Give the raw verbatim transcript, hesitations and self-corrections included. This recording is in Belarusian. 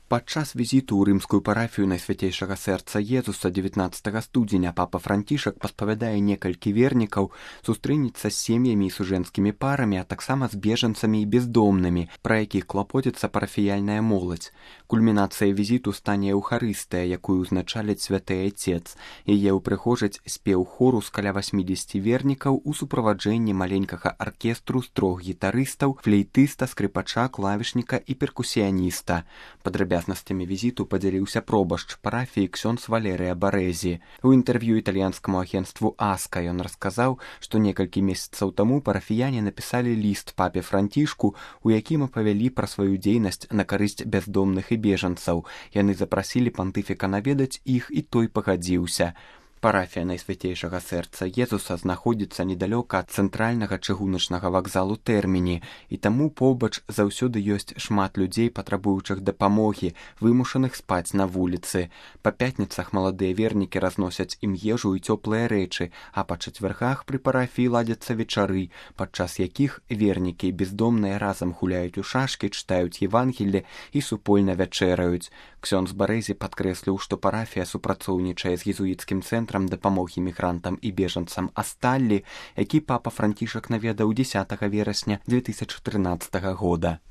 Падчас візіту ў рымскую парафію Найсвяцейшага сэрца Езуса дзевятнаццатага студзеня папа Францішак паспавядае некалькі вернікаў сустрэнецца з сем'ямі і сужэнцкімі парамі, а таксама з бежанцамі і бездомнымі, пра якіх клапоціцца парафіяльная моладзь. Кульмінацыяй візіту стане Еўхарыстыя, якую ўзначаліць святы Айцец. Яе ўпрыгожыць спеў хору з каля васьмідзесяці вернікаў у суправаджэнні маленькага аркестру з трох гітарыстаў, флейтыста, скрыпача, клавішніка і перкусіяніста. Падрабязнасцямі візіту падзяліўся пробашч парафіі ксёндз Валерыя Барэзі. У інтэрв'ю італьянскаму агенцтву «Аска» ён расказаў, што некалькі месяцаў таму парафіяне напісалі ліст папе Францішку, у якім апавялі пра сваю дзейнасць на карысць бяздомных і бежанцаў. Яны запрасілі пантыфіка наведаць іх, і той пагадзіўся. Парафія Найсвяцейшага сэрца Езуса знаходзіцца недалёка ад цэнтральнага чыгуначнага вакзалу Тэрміні, і таму побач заўсёды ёсць шмат людзей, патрабуючых дапамогі, вымушаных спаць на вуліцы. Па пятніцах маладыя вернікі разносяць ім ежу і цёплыя рэчы, а па чацвяргах пры парафіі ладзяцца вечары, падчас якіх вернікі і бездомныя разам гуляюць у шашкі, чытаюць Евангелле і супольна вячэраюць. Ксёндз Барэзі падкрэсліў, што парафія супрацоўнічае з езуіцкім цэнтрам дапамогі мігрантам і бежанцам Асталлі, які папа Францішак наведаў дзесятага верасня дзве тысячы трынаццатага года.